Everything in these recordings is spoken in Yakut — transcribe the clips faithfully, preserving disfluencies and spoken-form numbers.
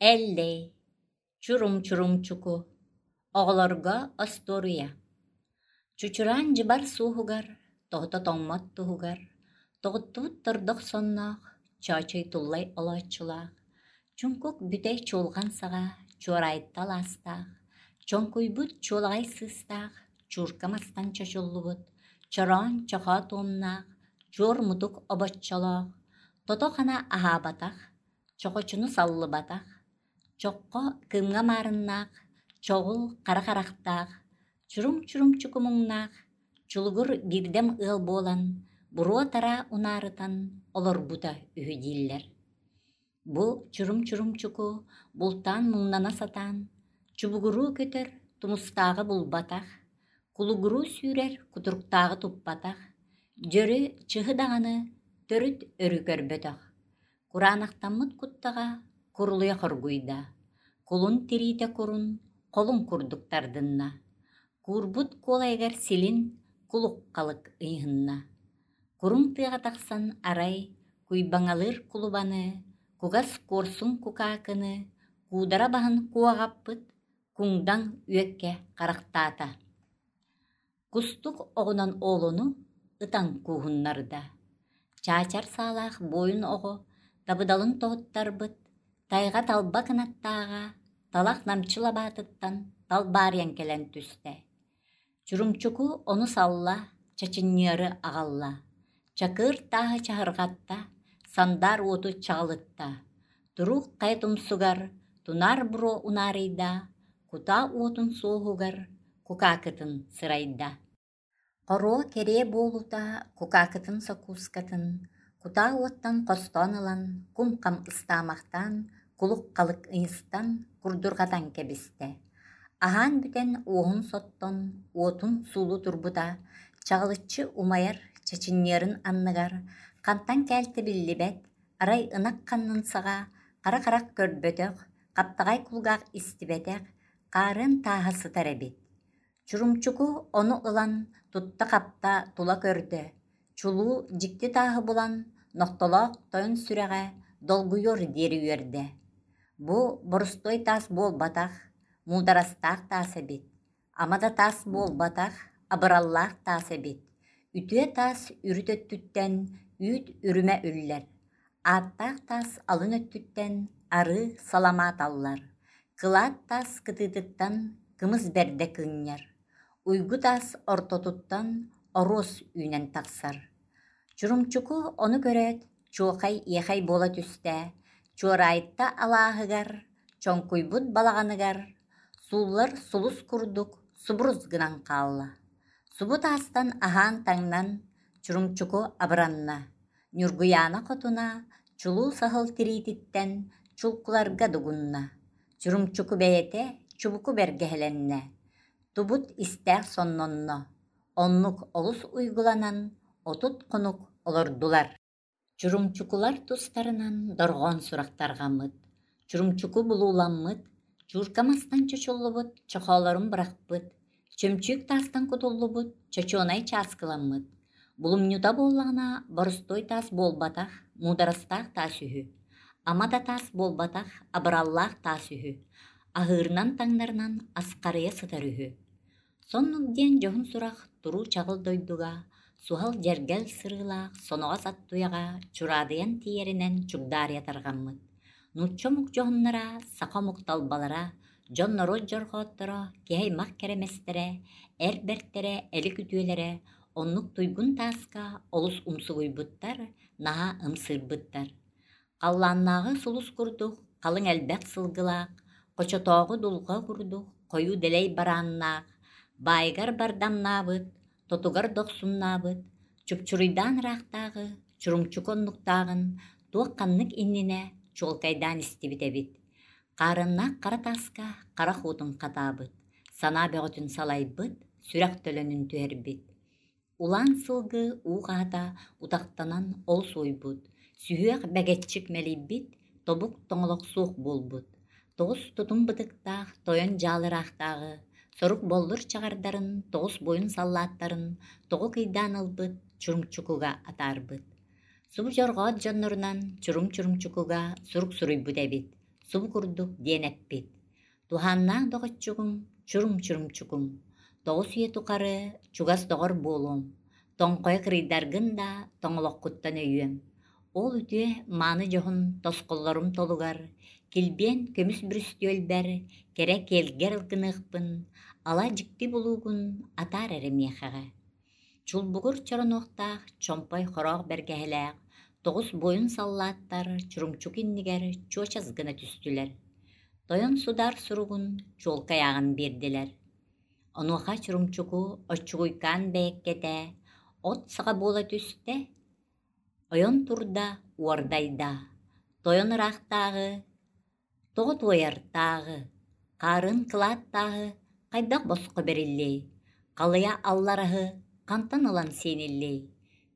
Эллэй, Чурум-чурумчуку, оҕолорго остуоруйа Чучураан дьыбар суоһугар, тоһута тоҥмот туһугар, тоҕуттубут тордох сонноох, Чоочой туллай олооччулаах, Чуҥкук бүтэй чуолҕан саҕа чуораайта алаастаах, чоҥкуйбут чуолаҕай сыыстаах, чуурка мастан чочуллубут, чороон чохоо туомнаах, чуор мутук обоччолоох, тото-хана аһаабатах, чохочуну саллыбатах, чоххо кыымҥа маарыннаах, чоҕул хара харахтаах, чурум-чурумчуку муҥнаах, чулугур биирдэм ыал буолан, буруо-тараа унаарытан олорбута үһү дииллэр. Бу чурум-чурумчуку бултаан муҥнана сатаан, чубугуруу көтөр тумустааҕы булбатах, кулугуруу сүүрэр кутуруктааҕы туппатах, дьөрү чыһы даҕаны төрүт өрүү көрбөтөх. Кураанахтаммыт куттаҕа курулуйа хоргуйда, кулун тириитэ курун холун курдук тардынна, куурбут куолайыгар силин кулук-халык ыйыһынна. Куруҥ тыаҕа тахсан арай куйбаҥалыыр кулубаны, кугас куорсун кукаакыны, куудара баһын куоҕаппыт куҥдаҥ үөккэ харахтаата. Кустук оҕунан оолону ытан кууһуннарда. Чаачар саалаах буойун оҕо табыдалын тоһуттарбыт, тайҕа талба кынаттааҕа талах намчы лабаатыттан талбаарыйан кэлэн түстэ. Чурумчуку ону салла, чачынньыары аҕалла, чакыр тааһы чаһырҕатта, сандаар уоту чаҕылытта, туруук хайа тумсугар тунаар буруо унаарыйда, кутаа уотун суоһугар кукаакытын сырайда. Хоруо кэриэ буолуута кукаакытын сокуускатын кутаа уоттан хостоон ылан, кум-хам ыстаамахтаан, кулук-халык ыйыстан, курдурҕатан кэбистэ. Аһаан бүтэн уоһун соттон, уотун суулуу турбута, чаҕылыччы умайар чачынньыарын анныгар хантан кээлтэ биллибэт, арай ынах ханнын саҕа хара харах көрбөтөх, хаптаҕай кулгаах истибэтэх, хаарыан тааһа сытар эбит. Чурумчуку ону ылан тутта-хапта тула көрдө, чулуу дьикти тааһы булан, нохтолоох тойон сүрэҕэ долгуйуор диэри үөрдэ. Бу боростуой таас буолбатах, муударастаах таас эбит, ама да таас буолбатах, абыраллаах таас эбит. Үтүө таас үрүт өттүттэн үүт үрүмэ үллэр, ааттаах таас алын өттүттэн арыы саламаат аллар, кылаат таас кытыытыттан кымыс бэрдэ кыынньар, уйгу таас ортотуттан оруос үүнэн тахсар. Чурумчуку ону көрөөт, чуохай-иэхэй буола түстэ, Чуораайта алааһыгар, чоҥкуйбут балаҕаныгар сууллар сулус курдук субурус гынан хаалла. Субу таастан аһаан-таҥнан Чурумчуку абыранна, Ньургуйаана хотуна чулуу саһыл тириититтэн чулкуларга дугунна, Чурумчуку бэйэтэ чубуку бэргэһэлэннэ, тубут истээх соннонно, оннук олус уйгуланан отут хонук олордулар. Чурумчукулар тустарынан дорҕоон сурах тарҕаммыт, Чурумчуку булууламмыт, чуурка мастан чочуллубут чохоолорун бырахпыт, чөмчүүк таастан кутуллубут чочуонай чааскыламмыт, булумньута буоллаҕына боростуой таас буолбатах, муударастаах таас үһү, ама да таас буолбатах, абыраллаах таас үһү, аһыырынан-таҥнарынан асхарыйа сытар үһү. Соннук диэн дьоһун сурах туруу чаҕыл дойдуга суһал дьэргэл сырыылаах соноҕос ат туйаҕа чураадыйан тиийэринэн чугдаарыйа тарҕаммыт. Нуучча омук дьоһуннара, саха омук талбалара, дьон-норуот дьорҕоотторо, киһи аймах кэрэмэстэрэ, эр бэртэрэ, элик үтүөлэрэ оннук туйгун тааска олус умсугуйбуттар, наһаа ымсыырбыттар. Халлааннааҕы сулус курдук халыҥ элбэх сылгылаах, хочотооҕу дулҕа курдук хойуу дэлэй барааннаах, баайыгар бардамнаабыт, тотугар дохсуннаабыт, чупчуруйдаан ыраахтааҕы Чурумчуку оннуктааҕын туох-ханнык иннинэ чуолкайдаан истибит эбит. Хаарыаннаах хара тааска харах уутун хатаабыт, санаа бөҕөтүн салайбыт, сүрэх төлөнүн түһэрбит. Улаан сылгы уу хаата утахтанан ол суойбут, сүһүөх бэгэччик мэлийбит, тобук тоҥолох суох буолбут. Тоҕус тутум бытыктаах тойон дьаалыраахтааҕы, сорук боллур чаҕардарын, тоҕус буойун саллааттарын тоҕу кыйдаан ылбыт, Чурумчукуга атаарбыт. Субу дьорҕоот дьоннорунан Чурум-Чурумчукуга сурук суруйбут эбит. субу курдук диэн эппит: «Туһааннаах доҕоччугум, чурум-чурумчукум, тоҕус үйэ тухары чугас доҕор буолуом, тоҥхойо кырыйдаргын да тоҥолоххуттан өйүөм. Ол үтүө мааны дьоһун тосхоллорум толугар, килбиэн көмүс бүрүстүөлбэр кэрэ киэлгэр ылгыныахпын, ала дьикти булуугун атаар эрэ миэхэҕэ». Чулбугур чоронуохтаах чомпой хороох бэргэһэлээх тоҕус буойун саллааттар Чурумчук иннигэр чуочас гына түстүлэр. Тойон судаар суругун чуолкай ааҕан биэрдилэр. Онуоха Чурумчуку оччугуйкаан бэйэккэтэ от саҕа буола түстэ, ойон турда, уордайда. Тойон ыраахтааҕы, тоҕо туойар-тааҕы, хаарын кылааттааҕы хайдах босхо бэриллиэй, халыйа аллараһы хантан ылан сиэниллиэй,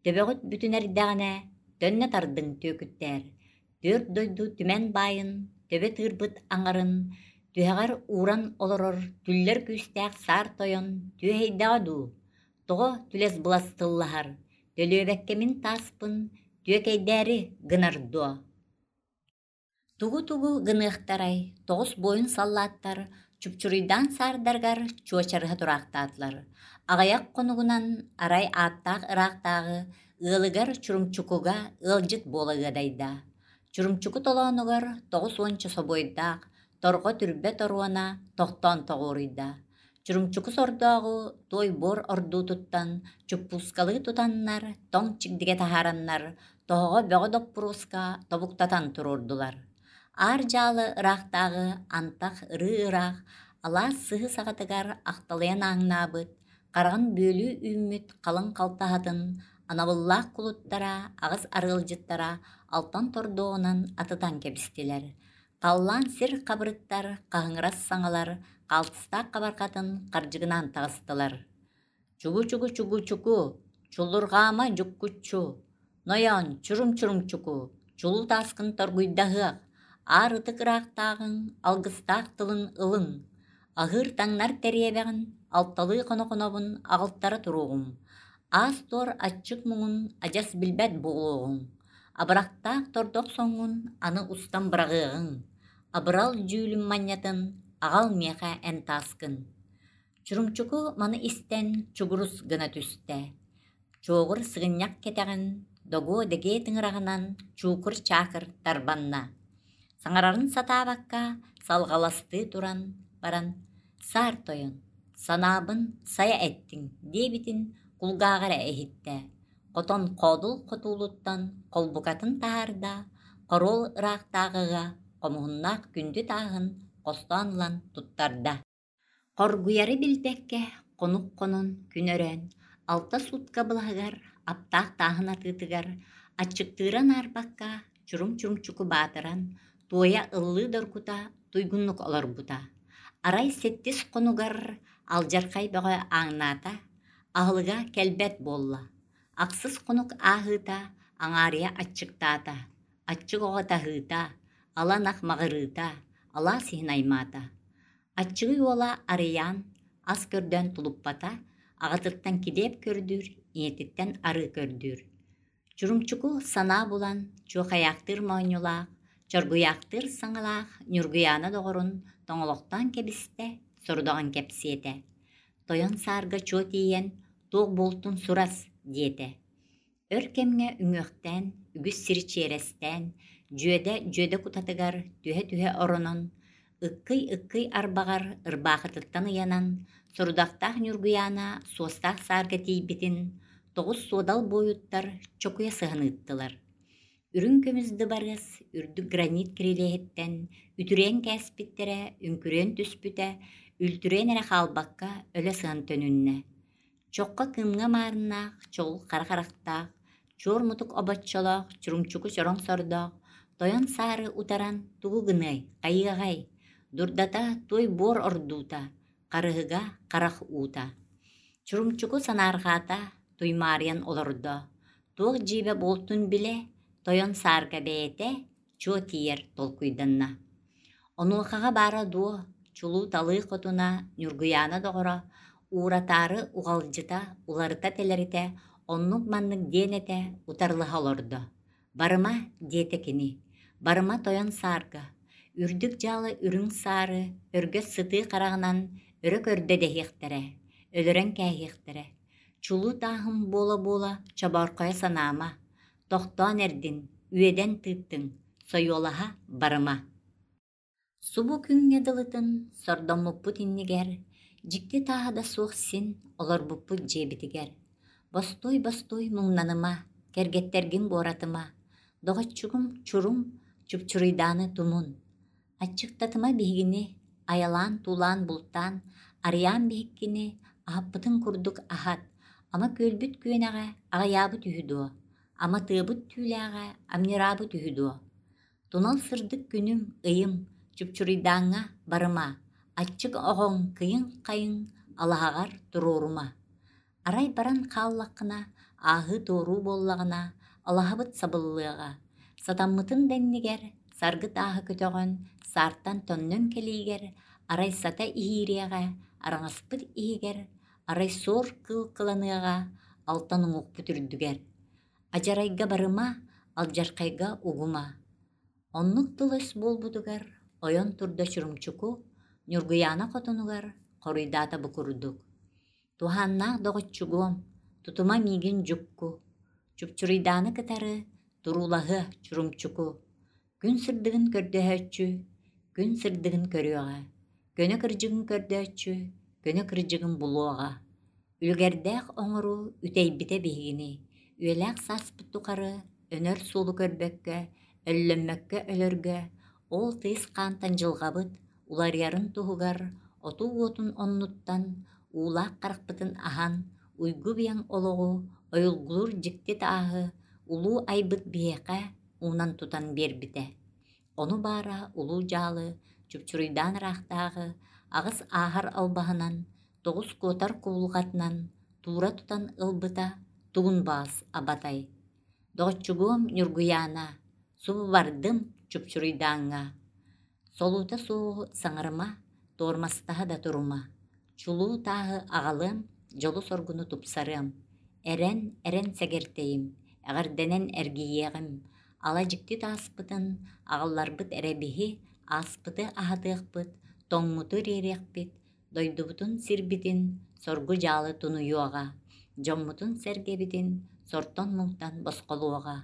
төбөҕүт бүтүн эрдэҕинэ төннө тардыҥ түөкүттээр, түөрт дойду түмэн баайын, төбө тыырбыт аҥарын, түһэҕэр ууран олорор түллэр күүстээх саар тойон түөһэйдэҕэ дуу, тоҕо түлэс-былас тыллаһар, төлүөбэккэ мин тааспын түөкэйдээри гынар дуо? Тугу-тугу гыныахтарай, тоҕус буойун саллааттар чупчуруйдаан саардарыгар чуочарыһа тураахтаатылар. Аҕыйах хонугунан арай ааттаах ыраахтааҕы ыалыгар Чурумчукуга ыалдьыт буола ыадайда. Чурумчуку толоонугар тоҕус уонча собуойдаах, торҕо түрбэ торуона тохтоон тоҕуоруйда. Чурумчуку сордооҕу туой буор ордуутуттан чуппуускалыы тутаннар, тоҥ чигдигэ таһаараннар, тоһоҕо бөҕө доппуруоска тобуктатан туруордулар. Аар дьаалы ыраахтааҕы антах ырыы ыраах, алаас сыһы саҕатыгар ахталыйан ааҥнаабыт, хараҕын бүөлүү үүммүт халыҥ халтаһатын анабыллаах кулуттара, аҕыс арыалдьыттара алтан тордуоҕунан атытан кэбистилэр. Халлаан сир хабырыттар, хаһыҥырас саҥалар хаалтыстаах хабарҕатын хардьыгынаан таҕыстылар. Чугу-чугу-чугу-чуку, чуллурҕаама дьуккуччу, нойоон чурум-чурумчуку, чулуу тааскын торгуйдаһыах, аар ытык ыраахтааҕыҥ алгыстаах тылын ылыҥ, аһыыр-таҥнар тэриэбэҕин алталыы хоно-хонобун аҕалтара туруоҕум, аас-туор аччык муҥун адьас билбэт буолуоҕуҥ, абырахтаах тордох соҥҥун аны устан быраҕыаҕыҥ, абырал дьүүлүм манньатын аҕал миэхэ эн тааскын. Чурумчуку маны истэн чугурус гына түстэ. Чуоҕур сыгынньах кэтэҕин догуо дэгиэ тыҥыраҕынан чуукур-чаакыр тарбанна. Саҥарарын сатаабакка салҕаластыы туран баран «Саар тойон, санаабын сайа эттиҥ» диэбитин кулгааҕа эрэ иһиттэ. Хотон хоодул хотуулуттан холбукатын таһаарда, хоруол ыраахтааҕыга хомуһуннаах күндү тааһын хостоон ылан туттарда. Хоргуйары билбэккэ хонук хонон күн өрөөн, алта суутка былаһыгар аптаах тааһын атыытыгар аччыктыыра наарбакка чурум-чурумчуку баатыран, туойа ыллыы доргута туйгуннук олорбута. Арай сэттис хонугар алдьархай бөҕө ааҥнаата, аһылыга кэлбэт буолла. Ахсыс хонук ааһыыта аҥаарыйа аччыктаата, аччык оҕо таһыыта, ала ынах маҕырыыта, алаас иһин аймаата. Аччыгый уола Арыйаан ас көрдөөн тулуппата, аҕатыттан килиэп көрдүүр, ийэтиттэн арыы көрдүүр. Чурумчуку санаа булан, чуохайаахтыыр моонньулаах, чоргуйаахтыыр саҥалаах Ньургуйаана доҕорун тоҥолохтоон кэбистэ, сорудаҕын кэпсиэтэ. Тойон саарга чуо тиийэн, туох буолтун сурас диэтэ. Өр кэмҥэ үҥүөхтээн, үгүс сири чиэрэстээн, дьүөдэ дьүөдэ кутатыгар түһэ-түһэ оронон, ыккый-ыккый арбаҕар ырбаахытыттан ыйанан, сорудахтаах Ньургуйаана суостаах саарга тиийбитин, тоҕус суодал буойуттар чокуйа сыһан ыыттылар. Үрүҥ көмүс дыбарыас үрдүк гранит кирилиэһиттэн үтүрүйэн кээспиттэрэ, үҥкүрүйэн түспүтэ, үлтүрүйэн эрэ хаалбакка өлө сыһан төнүннэ. Чоххо кыымҥа маарыннаах, чоҕул хара харахтаах, чуор мутук обоччолоох, чурумчуку чороҥ сордоох, тойон саары утаран тугу гыныай, хайыаҕай, дурдата туой буор ордуута, харыһыга харах уута. Чурумчуку санаарҕаата, туймаарыйан олордо, туох дьиибэ буолтун билэ, тойон саарга бэйэтэ чуо тиийэр толкуйданна. Онуохаҕа баара дуо, чулуу-талыы хотуна Ньургуйаана доҕоро ууратаары уҕалдьыта, уларыта-тэлэритэ оннук-маннык диэн этэ утарылаһа олордо. «Барыма» диэтэ кини, «барыма тойон саарга, Үрдүк дьаалы үрүҥ саары, өргөс сытыы хараҕынан өрө көрдө дэһиэхтэрэ, өлөрөн кээһиэхтэрэ. Чулуу тааһым буола-буола чобоорхойо санаама, тохтоон эрдин, үөдэн тыыттыҥ, сойуолаһа барыма. Субу күҥҥэ дылытын сордоммуппут иннигэр, дьикти тааһа да суох син олорбуппут дьиэбитигэр. Бостуой-бостуой муҥнаныма, кэргэттэргин буоратыма, доҕоччугум Чурум Чупчуруйдааны тумун. Аччыктатыма биһигини, айалаан-туулаан бултаан, Арыйаан биһиккини аһаппытын курдук аһат, ама күөлбүт күөнэҕэ аҕыйаабыт үһү дуо, ама тыабыт түүлээҕэ амньыраабыт үһү дуо? Тунал сырдык күнүм, ыйым, Чупчуруйдааҥҥа барыма, аччык оҕоҥ кыйын-хайын алаһаҕар туруорума. Арай баран хааллаххына, ааһыы-туоруу буоллаҕына, алаһабыт сабыллыаҕа, сатаммытын да иннигэр, саргы тааһы көтөҕөн, саартан төннөн кэлиигэр, арай сата иһиириэҕэ, араҥаспыт иһигэр, арай суор кыыл кыланыаҕа, алтан уҥуохпут үрдүгэр. Адьарайга барыма, алдьархайга угума. Оннук тыл-өс буолбутугар ойон турда Чурумчуку, Ньургуйаана хотонугар хоруйдаата бу курдук: «Туһааннаах доҕоччугуом, тутума миигин дьукку, Чупчуруйдааны кытары туруулаһыа Чурумчуку, күн сырдыгын көрдөһөөччү, күн сырдыгын көрүөҕэ, көнө кырдьыгын көрдөөччү, көнө кырдьыгын булуоҕа. Үлүгэрдээх оҥоруу үтэйбитэ биһигини, үйэлээх сааспыт тухары өнөр суолу көрбөккө, өллөммөккө өлөргө, ол тыйыс хаантан дьылҕабыт уларыйарын туһугар отуу уотун оннуттан уулаах харахпытын аһан, уйгу-быйаҥ олоҕу ойулгулуур дьикти тааһы улуу айбыт биһиэхэ уунан тутан биэрбитэ. Ону баара улуу дьаалы Чупчуруйдаан ыраахтааҕы аҕыс ааһар албаһынан, тоҕус куотар кубулҕатынан туура тутан ылбыта тугун баас абатай. Доҕоччугуом Ньургуйаана, субу бардым Чупчуруйдааҥҥа. Солуута суоҕу саҥарыма, туормастаһа да турума. Чулуу тааһы аҕалыам, дьолу-соргуну тупсарыам. Эрэн, эрэн сэгэртэйим, эҕэрдэнэн эргийиэҕим. Ала дьикти тааспытын аҕалларбыт эрэ биһи ааспыты аһатыахпыт, тоҥмуту ириэриэхпит, дойдубутун сирбитин соргу-дьаалы тунуйуоҕа, дьоммутун-сэргэбитин сортон-муҥтан босхолуоҕа.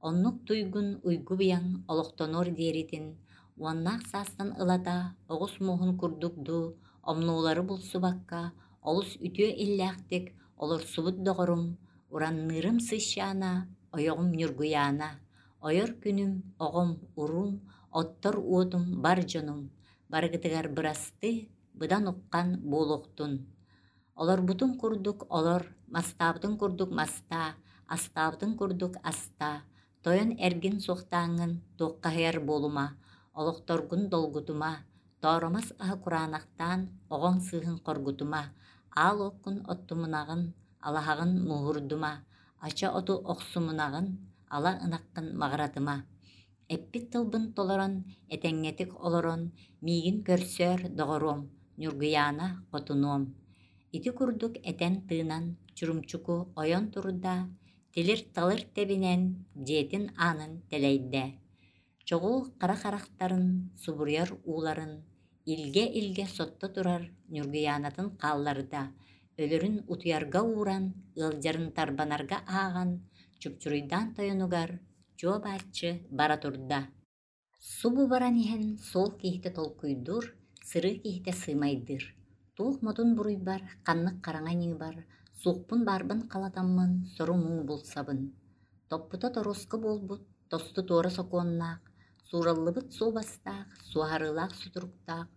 Оннук туйгун уйгу-быйаҥ олохтонуор диэритин, уоннаах саастан ылата оҕус муоһун курдук дуу, омнуолары булсубакка, олус үтүө иллээхтик олорсубут доҕорум, уранныырым Сыщаана, ойоҕум Ньургуйаана, ойор күнүм, оҕом, уруум, оттор уотум, бар дьонум, барыгытыгар бырастыы, быдан уххан буолуохтун. Олорбутун курдук олор, мастаабытын курдук мастаа, астаабытын курдук астаа, тойон эргин суохтааҥҥын туоххаһыйар буолума, олохторгун долгутума, тооромос аһы кураанахтаан оҕоҥ сыыһын хоргутума, аал уоккун оттумунаҕын, алаһаҕын мууһурдума, ача оту охсумунаҕын, ала ынаххын маҕыратыма. Эппит тылбын толорон, этэҥҥэтик олорон, миигин көрсөөр, доҕоруом, Ньургуйаана хотунуом. Ити курдук этэн-тыынан Чурумчуку ойон турда, тилир-талыр тэбинэн дьиэтин аанын тэлэйдэ. Чоҕул хара харахтарын, субуруйар ууларын илгэ-илгэ сотто турар Ньургуйаанатын хаалларда, өлөрүн утуйарга ууран, ыалдьарын тарбанарга ааҕан, Чупчуруйдаан тойонугар чуо-бааччы бара турда. Субу баран иһэн суол киһитэ толкуйдуур, сырыы киһитэ сыымайдыыр. Туох модун буруйбар, ханнык хараҥа ньыыбар, суохпун баарбын халатаммын сору-муҥу булсабын. Топпута торуоска буолбут, тосту туора сокуоннаах, суураллыбыт суобастаах, суоһарыылаах сутуруктаах,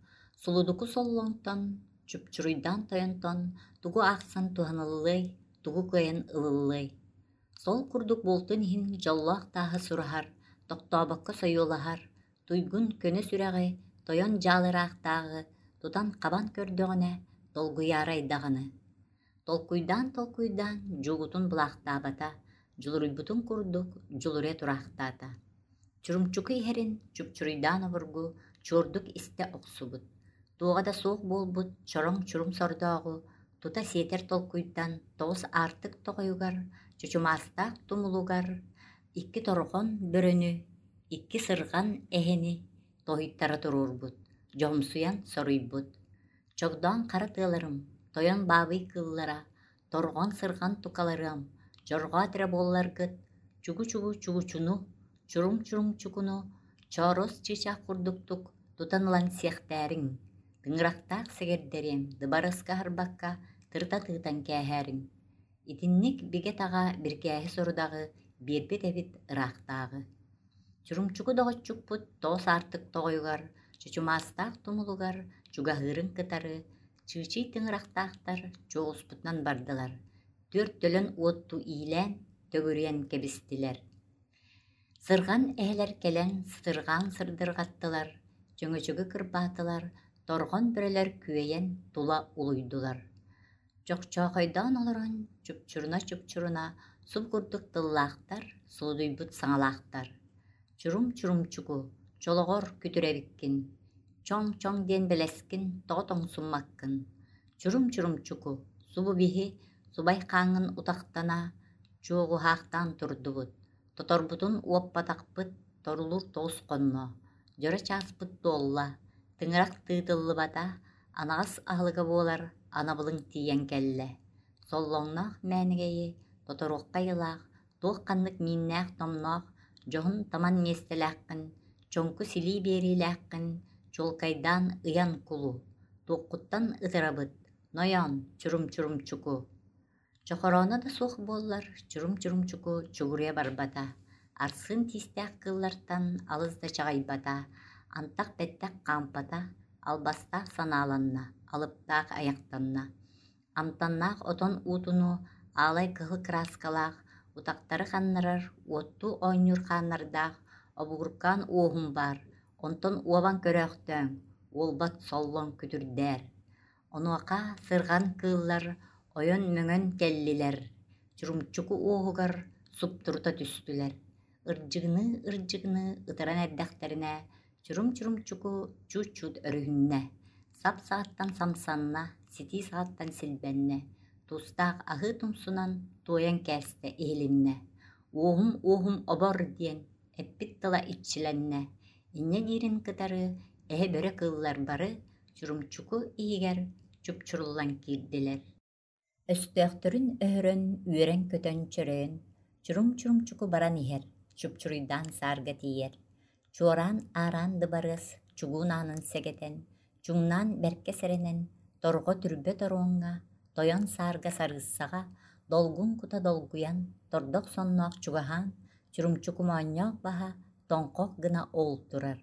сулудуку соллоҥтон, чупчуруйдаан тойонтон тугу аахсан туһаныллыай, тугу кыайан ылыллыай. Сол курдук буолтун иһин дьоллоох тааһы сураһар, тохтообокко сойуолаһар, туйгун көнө сүрэҕи, тойон дьаалыраахтааҕы тутан-хабан көрдөҕүнэ долгуйаарай даҕаны. Толкуйдаан-толкуйдаан дьуугутун булаахтаабата, дьулуруйбутун курдук дьулуруйа тураахтаата. Чурумчуку иһэрин чупчуруйдаан обургу чуордук истэ охсубут, туоҕа да суох буолбут чороҥ чурум сордооҕу тута сиэтэр толкуйтан тоҕус аартык тоҕойугар, чочумаастаах тумулугар икки торҕон бөрөнү, икки сырҕан эһэни, тоһуйтара туруорбут, дьоһумсуйан соруйбут: «Чогдоон хара тыаларым, тойон баабый кыыллара, торҕон-сырҕан тукаларыам, дьорҕоот эрэ буолларгыт, чугу-чугу чугучуну, чурум-чурумчукуну, чоорос чыычаах курдуктук тутан ылан сиэхтээриҥ, тыҥырахтаах сэгэрдэриэм, дыбарыаска аһарбакка тырыта тыытан кээһээриҥ». Итинник бигэ-таҕа бирикээһи сорудаҕы биэрбит эбит ыраахтааҕы. Чурумчуку доҕоччукпут тоҕус аартык тоҕойугар, чочумаастаах тумулугар чугаһыырын кытары чыычый тыҥырахтаахтар чуоҕуспутунан бардылар, түөрт төлөн уоттуу иилээн, төгүрүйэн кэбистилэр. Сырҕан эһэлэр кэлэн сытырҕаан сырдырҕаттылар, чөҥөчөгү кырбаатылар, торҕон бөрөлөр күөйэн тула улуйдулар. Чохчоохойдоон олорон чупчуруна-чупчуруна суп курдук тыллаахтар, суудуйбут саҥалаахтар. Чурум-чурумчуку, чолоҕор күтүр эбиккин, чоҥ-чоҥ диэн бэлэскин тоҕо тоҥсуммаккын. Чурум-чурумчуку, субу биһи субай хааҥҥын утахтана, чуоҕуһаахтаан турдубут, тоторбутун уоппатахпыт, торулуур тоҕус хонно, дьоро чааспыт туолла, тыҥырах тыытыллыбата, анаҕас аһылыга буолар анабылыҥ тиийэн кэллэ. Соллоҥноох мээнигэйи тоторуохха айылаах, туох ханнык мииннээх-томноох, дьоһун таман миэстэлээххин, чоҥку силии биэриилээххин чуолкайдаан ыйан кулу, туоххуттан ытырабыт, нойоон чурум-чурумчуку. Чохорооно да суох буоллар, чурум-чурумчуку чугуруйа барбата, арсыын тиистээх кыыллартан алыс да чаҕыйбата, антах-бэттэх хаампата, албастаах санааланна, алыптаах айахтанна. Амтаннаах отон уутуну аалай кыһыл кырааскалаах, утахтары ханнарар, уоттуу оонньуур хааннардаах обугуркаан уоһум баар, онтон уобан көрөөхтөөҥ, уолбат соллоҥ күтүрдээр. Онуоха сырҕан кыыллар ойон-мөҥөн кэллилэр, Чурумчуку уоһугар суптурута түстүлэр. Ырдьыгыныы-ырдьыгыныы ытыран эрдэхтэринэ, Чурум-чурумчуку чуут-чуут өрүһүннэ, сап саҕаттан самсанна, ситии саҕаттан силбэннэ, туустаах аһыы тумсунан туойан кээстэ иһилиннэ. «Уоһум, уоһум обор» диэн эппит тыла иччилэннэ. Инньэ диирин кытары эһэ-бөрө кыыллар бары Чурумчуку иһигэр чупчуруллан киирдилэр. Өстөөхтөрүн өһөрөн, үөрэн-көтөн чөрөйөн, Чурум-чурумчуку баран иһэр, чупчуруйдаан саарга тиийэр. Чуораан аараан дыбарыас чугуун аанын сэгэтэн, чуҥнаан бэркэ сэрэнэн, торҕо түрбэ торуоҥҥа, тойон саарга сарыыссаҕа, долгун кута долгуйан, тордох сонноох чугаһаан, Чурумчуку моонньоох баһа тоҥхох гына ол турар,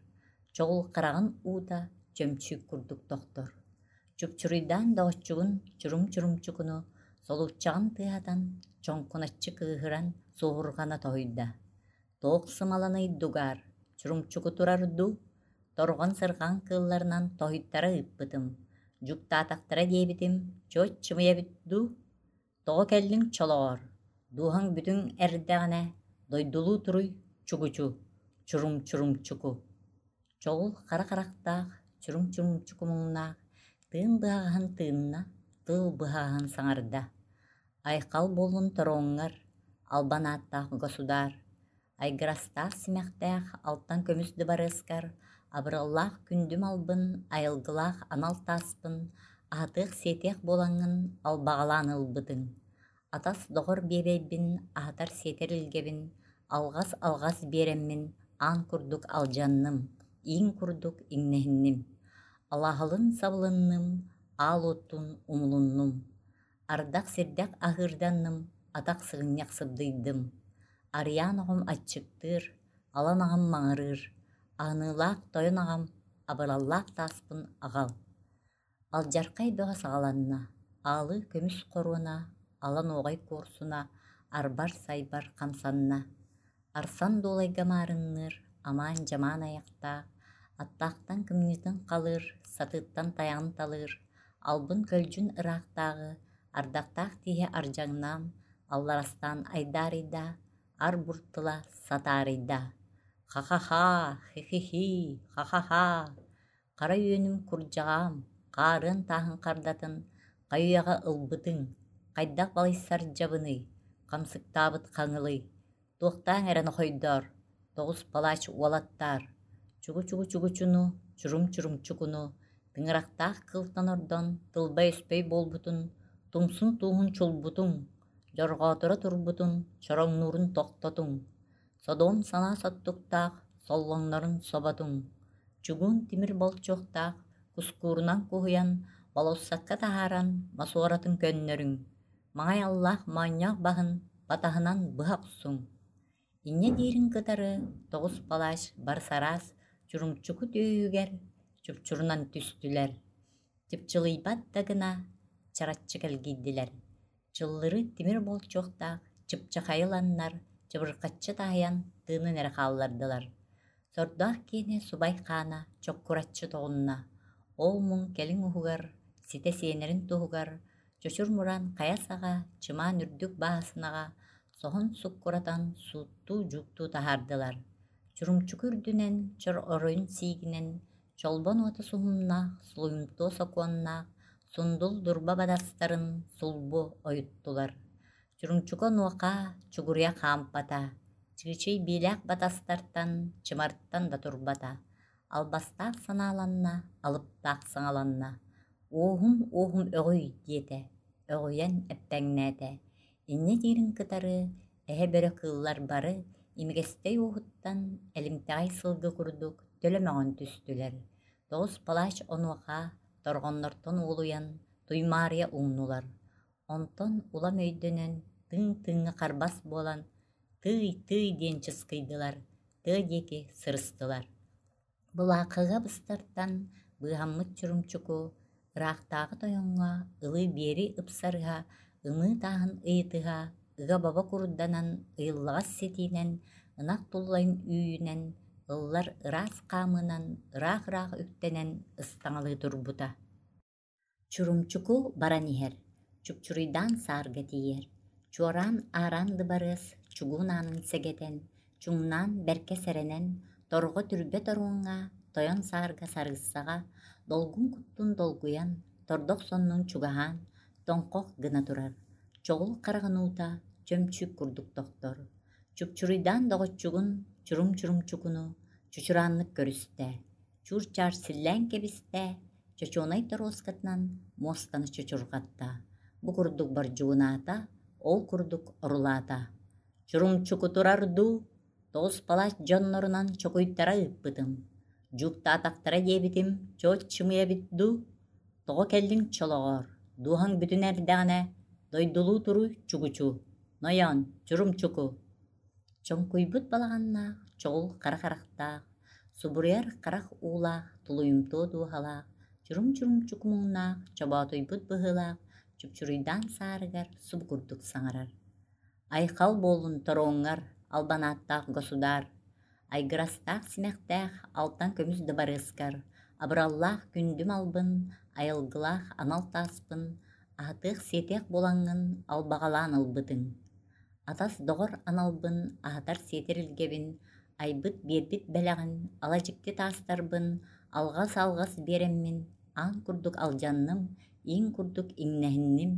чоҕул хараҕын уута чөмчүүк курдук тохтор. Чупчуруйдаан доҕоччугун чурум-чурумчукуну солууччаҕын тыаһатан, чоҥкуначчы кыыһыран суоһурҕана тоһуйда: «Туох сымаланый дугаар, чурумчуку турар дуу, торҕон-сырҕан кыылларынан тоһуйтара ыыппытым, дьуктаатахтара диэбитим, чуот чымыйа эбит дуу, тоҕо кэллиҥ чолоҕор, дууһаҥ бүтүҥ эрдэҕинэ, дойдулуу туруй чугучу, чурум-чурумчуку». Чоҕул хара харахтаах, чурум-чурумчуку муҥнаах, тыын быһаҕаһын тыынна, тыл быһаҕаһын саҥарда: «Айхал буоллун тороҥҥар, албан ааттаах государ, айгырастаах симэхтээх алтан көмүс дыбарыаскар, абыраллаах күндү малбын, айылгылаах анал тааспын аһатыах-сиэтиэх буолаҥҥын албаҕалаан ылбытыҥ. Атас доҕор биэбэйбин, аһатар-сиэтэр илгэбин, алҕас-алҕас биэрэммин аан курдук алдьанным, иин курдук иҥнэһинним. Алаһалын сабылынным, аал уоттун умулуннум. Ардах-сирдэх аһыырданным, атах сыгынньах сыбдыйдым. Арыйаан оҕом аччыктыыр, алан аҕам маҥырыыр, аһыныылаах тойон аҕам, абыраллаах тааспын аҕал». Алдьархай бөҕө саҕаланна, аалыы көмүс хоруона, ала нуоҕай куорсуна арбар-сайбар хамсанна. Арсан дуолайга маарынныыр, амаан-дьамаан айахтаах, аттаахтан кымньыытын халыыр, сатыыттан тайаҕын талыыр, албын-көлдьүн ыраахтааҕы, ардахтаах тииһэ ардьаҥнаан, алларастаан айдаарыйда, ар-бур тыла сатаарыйда. Ха-ха-ха, хи-хи-хи, ха-ха-ха, хара үөнүм курдьаҕаам, хаарыан тааһын хардатын хайыйаҕа ылбытыҥ, хайдах балыйсар дьабыный, хамсыктаабыт хаҥылый, туохтааҥ эрэ нохойдоор, тоҕус палач уолаттаар, Чугу-чугу-чугучуну, чурум-чурумчукуну, тыҥырахтаах кылтан ордон тылбай-өспөй буолбутун, тумсун тууһун чулбутуҥ, дьорҕооторо турбутун, чороҥнуурун тохтотуҥ, содуом санаа соттуктаах соллоҥнорун соботуҥ, чугуун тимир болчуохтаах кускуурунан куһуйан, болуоссакка таһааран мосуоратын көннөрүҥ, маҥай аллаах моонньоох баһын батаһынан быһа охсуҥ. Инньэ диирин кытары тоҕус палач барсараас Чурумчуку түөһүгэр чупчурунан түстүлэр, чыпчылыйбат да гына чараччы кэлгийдилэр, чыллыры тимир болчуохтаах чыпчахайы ыланнар чыбырхаччы таһыйан тыынын эрэ хааллардылар. Сордоох киэнэ субай хаана чоккураччы тоҕунна, ол муҥ кэлин уһугар, ситэ сиэнэрин туһугар, чочур мураан хайа саҕа чымаан үрдүк бааһынаҕа соһон суккуратан сууттуу-дьууктуу таһаардылар. Чурумчуку үрдүнэн, чор оройун сиигинэн, чолбон уота суһумнаах, сулуйумтуо сокуоннаах, сундул дурба бадастарын сулбу ойуттулар. Чурумчуку онуоха чугуруйа хаампата, чыычый биилээх батастартан, чымартан да турбата, албастаах санааланна, алыптаах саҥаланна: «Уоһум, уоһум өҕүй» диэтэ, өҕүйэн эппэҥнээтэ. Инньэ диирин кытары эһэ бөрө кыыллар бары имигэстэй уоһуттан элимтэҕэй сылгы курдук төлө мөҕөн түстүлэр. Тоҕус палач онуоха торҕоннортон уолуйан туймаарыйа уҥнулар. Онтон улам өйдөнөн, тыҥ-тыҥҥа харбас буолан, «Тыый-тыый» диэн чыскыйдылар, тыа диэки сырыстылар. Былаахыга быстартан быыһаммыт Чурумчуку ыраахтааҕы тойоҥҥо ылыы-биэрии ыпсарыһа, ымыы тааһын ыйытыһа, ыга-баба курданан, ыйыллаҕас ситиинэн, ынах туллайын үүнэн, ыллар ыраас хаамыынан ыраах-ыраах үктэнэн ыстаҥалыы турбута. Чурумчуку баран иһэр, чупчуруйдаан саарга тиийэр, чуораан аараан дыбарыас чугуун аанын сэгэтэн, чуҥнаан бэркэ сэрэнэн, торҕо түрбэ торуоҥҥа, тойон саарга сарыыссаҕа, долгун куттун долгуйан, тордох соннун чугаһаан, тоҥхох гына турар, чоҕул хараҕын уута чөмчүүк курдук тохтор. Чупчуруйдаан доҕоччугун, чурум-чурумчукуну чучурааннык көрүстэ, чуур-чаар силлээн кэбистэ, чочуонай торуоскатынан муостаны чочурҕатта, бу курдук бордьугунаата, ол курдук орулаата. Чурумчуку турар дуу, тоҕус палач дьоннорунан чокуйтара ыыппытым, дьууктаатахтара диэбитим чуот чымыйа эбит дуу, тоҕо кэллиҥ чолоҕоор, дууһаҥ бүтүн эрдэҕинэ, дойдулуу туруй чугучу, нойоон, чурумчуку. Чоҥкуйбут балаҕаннаах, чоҕул хара харахтаах, субуруйар харах уулаах, тулуйумтуо дууһалаах, чурум-чурумчуку муҥнаах, чоботуйбут быһыылаах, чупчуруйдаан саарыгар субу курдук саҥарар. Айхал буоллун торуоҥҥар, албан ааттаах государ, айгырастаах симэхтээх алтан көмүс дыбарыаскар, абыраллаах күндүм албын, айылгылаах анал тааспын, аһатыах-сиэтиэх буолаҥҥын албаҕалаан ылбытыҥ. Атас-доҕор аналбын, аһатар-сиэтэр илгэбин, айбыт-биэрбит бэлэҕин, ала дьикти таастарбын алҕас-алҕас биэрэммин, аан курдук алдьанным, иин курдук иҥнэһинним,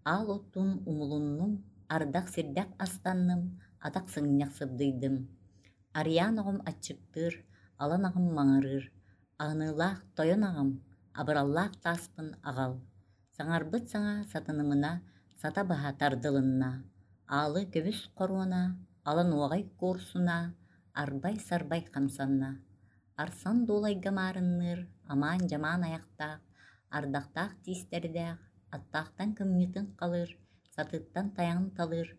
аал оттуун умулуннум, ардах-сирдэх астанным, атах сыгынньах сыбдыйдым. Арыйаан оҕом аччыктыыр, алан аҕам маҥырыыр, аһыныылаах тойон аҕам, абыраллаах тааспын аҕал. Саҥарбыт саҥа сатанымына сата баһа тардылынна, аалы көмүс хоруона, ала нуоҕай куорсуна, арбай-сарбай хамсанна. Арсан дуолайга маарынныыр, амаан-дьамаан айахтаах, ардахтаах тиистэрдээх, аттаахтан кымньыытын халыыр, сатыыттан тайаҕын талыыр,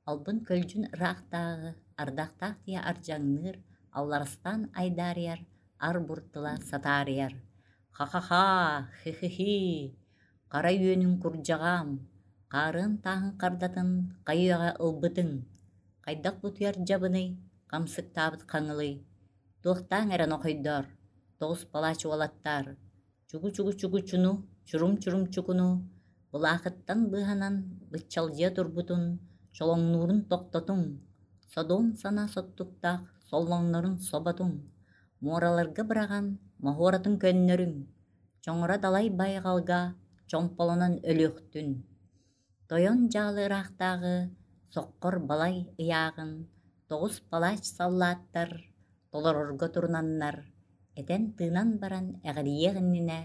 албын-көлдьүн ыраахтааҕы, ардахтаах тиэ ардьаҥныыр, алларастаан айдаарыйар, ар-бур тыла сатаарыйар. Ха-ха-ха, хи-хи-хи, хара үөнүн курдьаҕаам, хаарыан тааһын хардатын хайыаҕа ылбытыҥ, хайдах бутуйар дьабыный, хамсыктаабыт хаҥылый, туохтааҥ эрэ нохойдоор, тоҕус палач уолаттаар, чугу-чугу-чугучуну, чурум-чурумчукуну, былаахыттан быыһанан быччалдьыйа турбутун, чолоҥнуурун тохтотуҥ, содуом санаа соттуктаах соллоҥнорун соботуҥ, муораларга быраҕан моһуоратын көннөрүҥ, чоҥоро далай байҕалга чомполонон өлүөхтүн. Тойон дьаалы ыраахтааҕы соххор балай ыйааҕын тоҕус палач саллааттар толорорго турунаннар, Этэн-тыынан баран эҕирийиэх иннинэ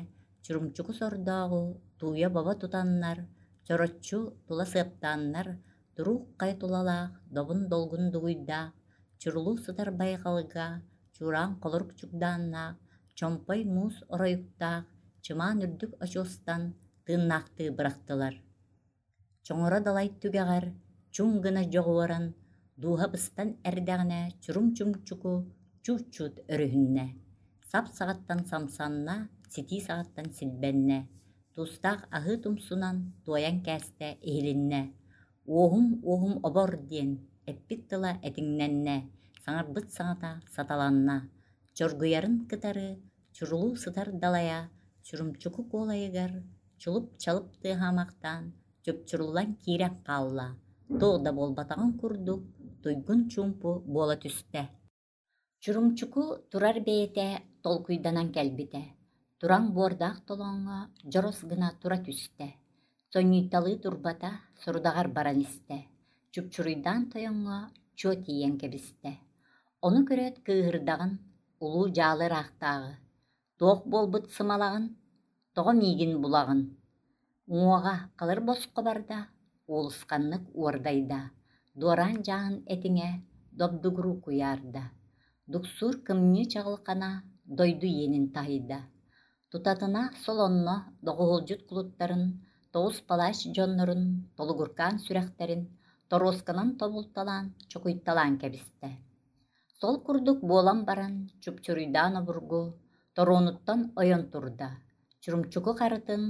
Чурумчуку сордооҕу тууйа бобо тутаннар, чороччу тула сыаптааннар, туруук хайа тулалаах, добун долгун дугуйдаах, чурулуу сытар байҕалга чуораан холорук чугдааннаах, чомпой муус оройуктаах, чымаан үрдүк очуостан тыыннаахтыы бырахтылар. Чоҥоро далай түгэҕэр чуҥ гына дьоҕуоран, дууһа быстан эрдэҕинэ чурум-чумчуку чуут-чуут өрүһүннэ, сап саҕаттан самсанна, ситии саҕаттан силбэннэ, туустаах аһыы тумсунан туойан кээстэ иһилиннэ. Уоһум, уоһум обор диэн эппит тыла этиҥнэннэ, саҥарбыт саҥата саталанна, чоргуйарын кытары чурулуу сытар далайа Чурумчуку куолайыгар чулуп-чалып тыаһаамахтаан чупчуруллан киирэн хаалла, туох да буолбатаҕын курдук туйгун чуумпу буола түстэ. Чурумчуку турар бэйэтэ толкуйданан кэлбитэ, тураҥ буордаах толооҥҥо дьорос гына тура түстэ, сонньуйталыы турбата, сорудаҕар баран истэ, чупчуруйдаан тойоҥҥо чуо тиийэн кэбистэ. Ону көрөөт кыыһырдаҕын, улуу дьаалы ыраахтааҕы, туох буолбут сымалаҕын, тоҕо миигин булаҕын? Уҥуоҕа халыр босхо барда, уолусханнык уордайда, дуораан дьааһын этиҥэ добдугуруу куйаарда, дуксуур кымньыы чаҕылхана дойду иэнин таһыйда. Тутатына сол онно доҕуһулдьут кулуттарын, тоҕус палач дьоннорун толугуркаан сүрэхтэрин торуосканан тобулталаан, чокуйталаан кэбистэ. Сол курдук буолан баран, чупчуруйдаан обургу торуонуттан ойон турда, Чурумчуку харытын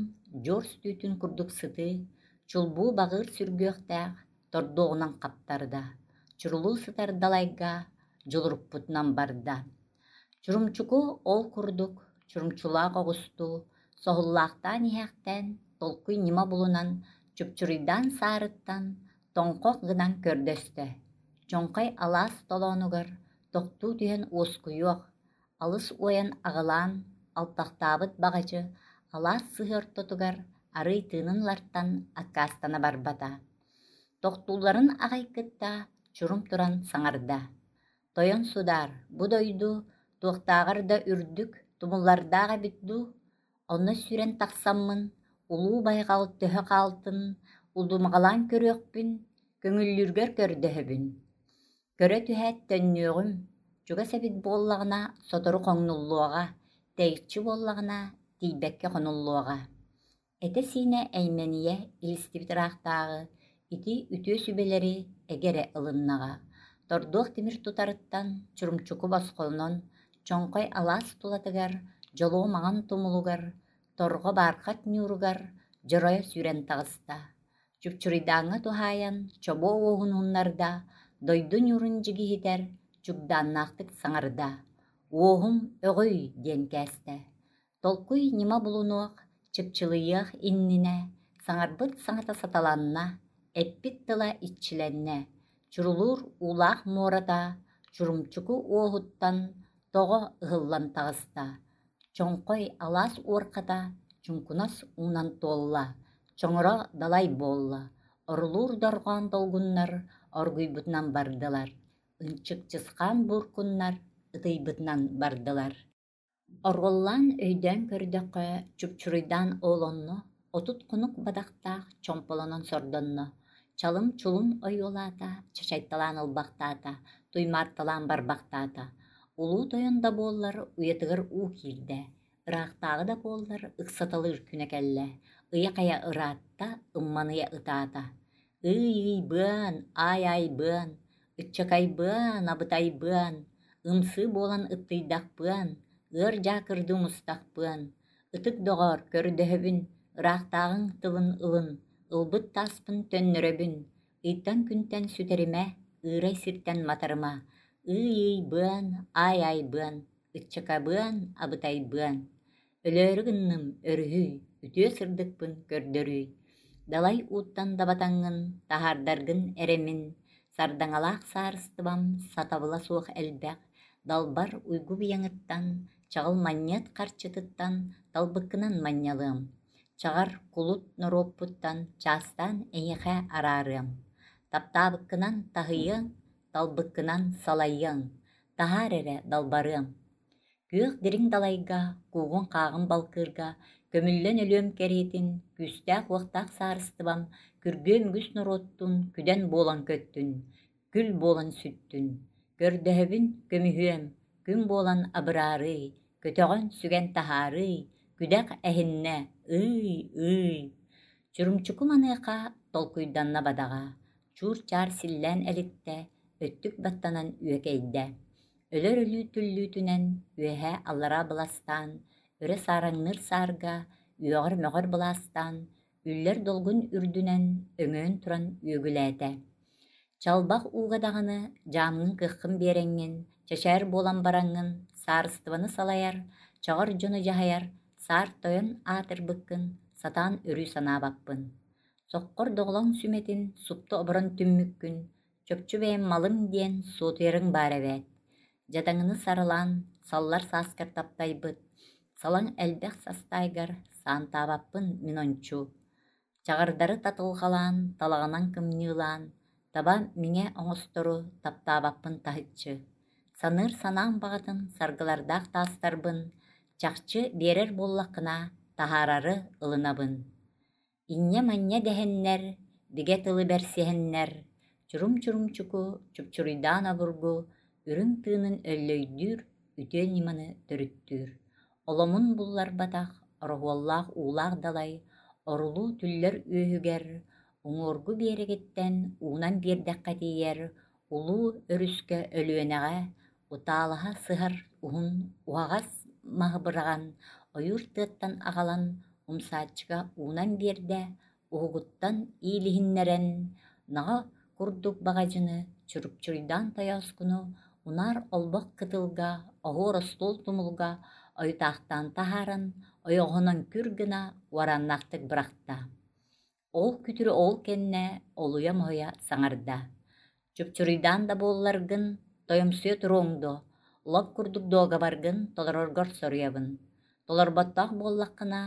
дьуор түүтүн курдук сытыы, чулбуу баҕыыр сүргүөхтээх тордуоҕунан хаптарда, чурулуу сытар далайга дьулуруппутунан барда. Чурумчуку ол курдук чурумчулаах оҕустуу, соһуллаахтаан иһээхтээн, толкуй ньыма булунан, чупчуруйдаан саарыттан тоҥхох гынан көрдөстө. Чоҥхой алаас толоонугар тохтуу түһэн уоскуйуох, алыс уойан аҕылаан, алтахтаабыт баҕадьы алаас сыһыы ортотугар арыый тыынын ылартан аккаастана барбата. Тохтуулларын аҕай кытта чурум туран саҥарда: «Тойон судаар, бу дойду туохтааҕар да үрдүк, тумуллардаах эбит дуу, онно сүүрэн тахсаммын, улуу байҕал төһө хаалтын удумаҕалаан көрүөхпүн, көҥүллүүргэр көрдөһөбүн. Көрө түһээт төннүөҕүм, чугас эбит буоллаҕына сотору хоҥнуллуоҕа, тэйиччи буоллаҕына тиийбэккэ хонуллуоҕа». Этэ-сиинэ эймэнийэ илистибит ыраахтааҕы ити үтүө сүбэлэри эгэ эрэ ылыннаҕа. Тордуох тимир тутарыттан Чурумчуку босхолонон, Чоҥхой алаас тулатыгар, дьолуо маҥан тумулугар, торҕо баархат ньууругар дьоройо сүүрэн таҕыста. Чупчуруйдааҥҥа туһаайан чобуо уоһун уһуннарда, дойду ньуурун дьигиһитэр чугдааннаахтык саҥарда: «Уоһум өҕүй!» диэн кээстэ. Толкуй ньыма булунуох, чыпчылыйыах иннинэ саҥарбыт саҥата саталанна, эппит тыла иччилэннэ, чурулуур уулаах муората Чурумчуку уоһуттан тоҕо ыһыллан таҕыста, Чоҥхой алаас уорхата чуҥкунас уунан туолла, чоҥоро далай буолла, орулуур дорҕоон долгуннар оргуйбутунан бардылар, ынчык-чысхаан бууркуннар ытыйбытынан бардылар. Оруоллаан өйдөөн көрдөххө, чупчуруйдаан ол онно отут хонук бадахтаах чомполонон сордонно, чалым-чулум ойуолаата, чачайталаан ылбахтаата, туймаарталаан барбахтаата. Улуу тойон да буоллар уйатыгар уу киирдэ, ыраахтааҕы да буоллар ыксаталыыр күнэ кэллэ, ыйа-хайа ыраатта, ымманыйа ытаата. Ый-ый-быан, аай-аайбыан, ыччакайбыан, абытайбыан, ымсыы буолан ыттыйдахпыан, ыар дьаакырдыы умустахпыан, ытык доҕоор, көрдөһөбүн, ыраахтааҕыҥ тылын ылын, ылбыт тааспын төннөрөбүн, ыйтан-күнтэн сүтэримэ, ыырай сиртэн матарыма, ый-ыйбыан, аай-аайбыан, ыччакабыан, абытайбыан. Өлөөрү гынным, өрүһүй, үтүө сырдыкпын көрдөрүй, далай ууттан дабатаҥҥын, таһаардаргын эрэмин, сардаҥалаах саарыстыбам сатабыла суох элбэх, далбар уйгу быйаҥыттан, чаҕыл манньыат харчытыттан талбыккынан манньалыам, чаҕар кулут норуоппуттан чаастаан эйиэхэ араарыам, таптаабыккынан таһыйыаҥ, талбыккынан салайыаҥ, таһаар эрэ далбарыам. Күөх дириҥ далайга, куугун-хааҕын балкыырга, көмүллэн өлүөм кэриэтин, күүстээх-уохтаах саарыстыбам, күргүөм үгүс норуоттун күдэн буолан көттүн, күл буолан сүттүн. Көрдөһөбүн, көмүһүөм, күн буолан абыраарый, көтөҕөн сүгэн таһаарый, күдэх эһиннэ, ый-ый. Чурумчуку маныаха толкуйданна бадаҕа, чуур-чаар силлээн элиттэ, өттүк баттанан үөкэйдэ. Өлөр өлүү түллүүтүнэн үөһээ аллараа быластаан, өрө саараҥныыр саарга, үөҕэр-мөҕөр былаастаан, үллэр долгун үрдүнэн өҥөйөн туран үөгүлээтэ. Чалбах ууга даҕаны дьаамҥын кыаххын биэрэҥҥин, чэчээр буолан бараҥҥын, саарыстыбаны салайар, чаҕар дьону дьаһайар, саар тойон аатырбыккын сатаан өрүү санаабаппын. Соххор доҕолоҥ сүмэтин супту оборон түммүккүн, чопчу бэйэм малым диэн суотуйарыҥ баар эбээт. Дьадаҥыны сарылаан, саллар сааскар таптайбыт, салаҥ элбэх састаайгар саантаабаппын мин ончу. Чаҕардары татылҕалаан, талаҕынан кымньыылаан, таба миҥэ оҥостору таптаабаппын таһыччы. Саныыр санаам баҕатын саргылардаах таастарбын, чахчы биэрэр буоллаххына, таһаарары ылынабын. Инньэ-манньа дэһэннэр, бигэ тылы бэрсиһэннэр, чурум-чурумчуку чупчуруйдаан обургу үрүҥ тыынын өллөйдүүр, үтүө ньыманы төрүттүүр. Оломун булларбатах, ороһуоллаах уулаах далай, орулуу түллэр үөһүгэр, уҥуоргу биэрэгиттэн уунан биэрдэххэ тиийэр, улуу өрүскэ Өлүөнэҕэ утаалаһа сыһар уһун уһаҕас маһы быраҕан, ойуур тыаттан аҕалан умсааччыга уунан биэрдэ, уһугуттан иилиһиннэрэн, наҕа курдук баҕадьыны, чурупчуруйдаан тойооскуну унаар олбох кытылга, оһуор остуол тумулга ойутаахтаан таһааран, ойоҕоһунан күр гына уорааннаахтык бырахта. Ол күтүрү ол кэннэ олуйа-моһуйа саҥарда: «Чупчуруйдаан да буолларгын, тойомсуйа туруоҥ дуо, лоп курдук дуогабаргын толороргор соруйабын. Толорботтоох буоллаххына,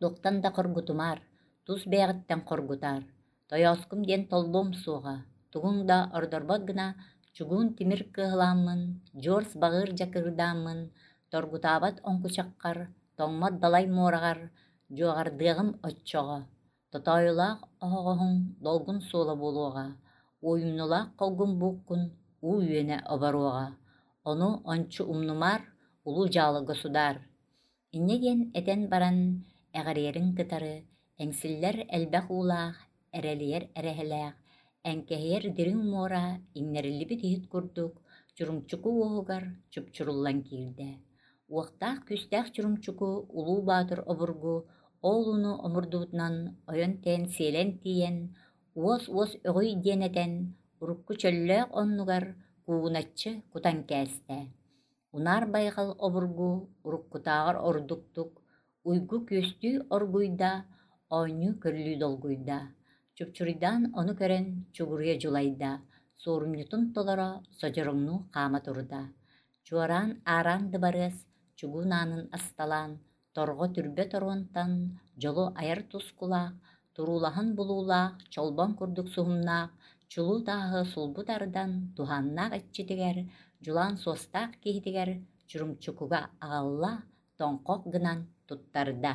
туохтан да хоргутумаар, тус бэйэҕиттэн хоргутаар. Тойооскум диэн толлуом суоҕа, тугуҥ да ордорбот гына чугуун тимир кыаһылааммын, дьуорс баҕыыр дьакырдааммын, торгутаабат оҥкучаххар, тоҥмот далай муораҕар дьуоҕардыаҕым оччоҕо. Тотоойулаах оһоҕоһуҥ долгун суола буолуоҕа, уойумнулаах холгун бууккун уу үөнэ оборуоҕа. Ону ончу умнумаар, улуу дьаалы государ». Инньэ диэн этэн баран, эҕэрийэрин кытары эҥсиллэр элбэх уулаах, эрэлийэр эрэһэлээх, эҥкэһийэр дириҥ муора иҥнэриллибит иһит курдук Чурумчуку уоһугар чупчуруллан киирдэ. Уохтаах күүстээх Чурумчуку Улуу Баатыр обургу ол ууну омурдубутунан ойон тэйэн сиэлэн тиийэн, уос-уос өҕүй диэн этэн, урукку чөллөөх оннугар куугуначчы кутан кээстэ. Унаар байҕал обургу уруккутааҕар ордуктук, уйгу күөстүү оргуйда, оонньуу көрүлүү долгуйда. Чупчуруйдаан ону көрөн чугуруйа дьулайда, суорумньутун толоро содьороҥнуу хаама турда. Чуораан аараан дыбарыас чугуун аанын асталаан, торҕо түрбэ торуонтан дьолу айар тускулаах, туруулаһан булуулаах, чолбон курдук суһумнаах, чулуу тааһы сулбу тардан, туһааннаах иччитигэр, дьулаан суостаах киһитигэр Чурумчукуга аҕалла, тоҥхох гынан туттарда.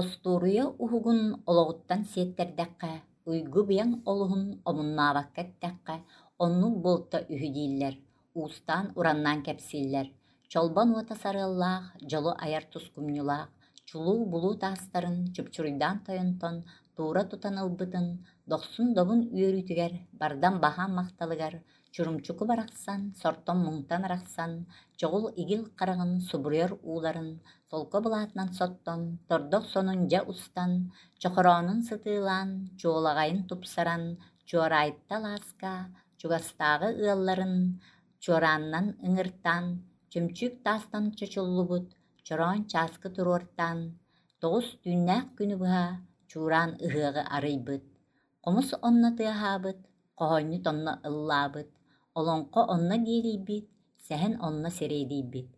Остуоруйа уһугун олоҕуттан сиэттэрдэххэ, уйгу-быйаҥ олуһун омуннаабакка эттэххэ, оннук буолта үһү дииллэр, уустаан-ураннаан кэпсииллэр. Чолбон уота сарыаллаах, дьолу айар тускумньулаах, чулуу булуу таастарын чупчуруйдаан тойонтон туура тутан ылбытын, дохсун-добун үөрүүтүгэр, бардам баһаам махталыгар Чурумчуку барахсан сортон-муҥтан арахсан, чоҕул игил хараҕын субуруйар ууларын солко былаатынан соттон, тордох сонун дьэ устан, чохороонун сытыылаан, чуолаҕайын тупсаран, Чуораайта алааска чугастааҕы ыалларын чуораанынан ыҥыртаан, чөмчүүк таастан чочуллубут чороон чааскы туруортаан, тоҕус түүннээх күнү быһа чуораан ыһыаҕы арыйбыт. Хомус онно тыаһаабыт, хоһоонньут онно ыллаабыт, олоҥхо онно диэлийбит, сэһэн онно сэриэдийбит,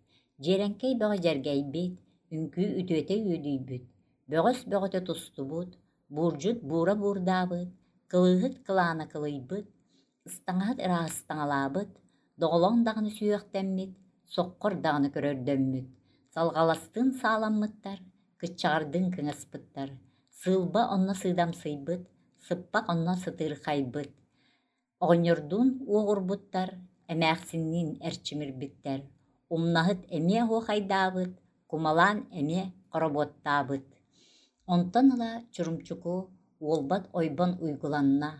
дьиэрэҥкэй бөҕө дьэргэйбит, үҥкүү үтүөтэ үөдүйбүт, бөҕөс бөҕөтө тустубут, буурдьут буура буурдаабыт, кылыыһыт кылаана кылыйбыт, ыстаҥаһыт ыраастаҥалаабыт, доҕолоҥ даҕаны сүһүөхтэммит, соххор даҕаны көрөрдөммүт, салҕаластыын сааламмыттар, кыччаҕардыын кыҥаспыттар, сыылба онно сыыдамсыйбыт, сыппах онно сытыырхайбыт, оҕонньордуун уоҕурбуттар, эмээхсинниин эрчимирбиттэр, умнаһыт эмиэ оһуохайдаабыт, кумалаан эмиэ хоробуоттаабыт. Онтон ыла Чурумчуку уолбат ойбон уйгуланна,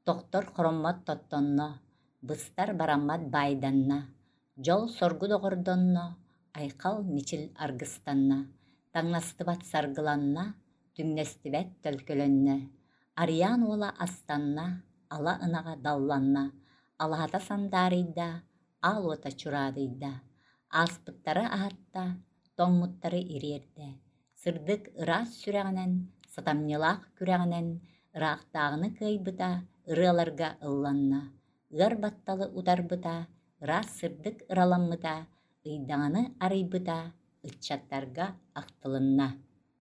тохтор хороммот тоттонно, быстар бараммат баайданна, дьол-соргу доҕордонно, айхал-мичил аргыстанна, таҥнастыбат саргыланна, түҥнэстибэт төлкөлөннө, Арыйаан уола астанна, ала ынаҕа далланна, алаһата сандаарыйда, аал уота чураадыйда, ааспыттары аһатта, тоҥмуттары ириэрдэ, сырдык ыраас сүрэҕинэн, сатамньылаах күрэҕинэн ыраахтааҕыны кыайбыта, ырыаларга ылланна, ыар батталы утарбыта, ыраас сырдык ыраламмыта, ыйдаҥаны арыйбыта, ыччаттарга ахтылынна.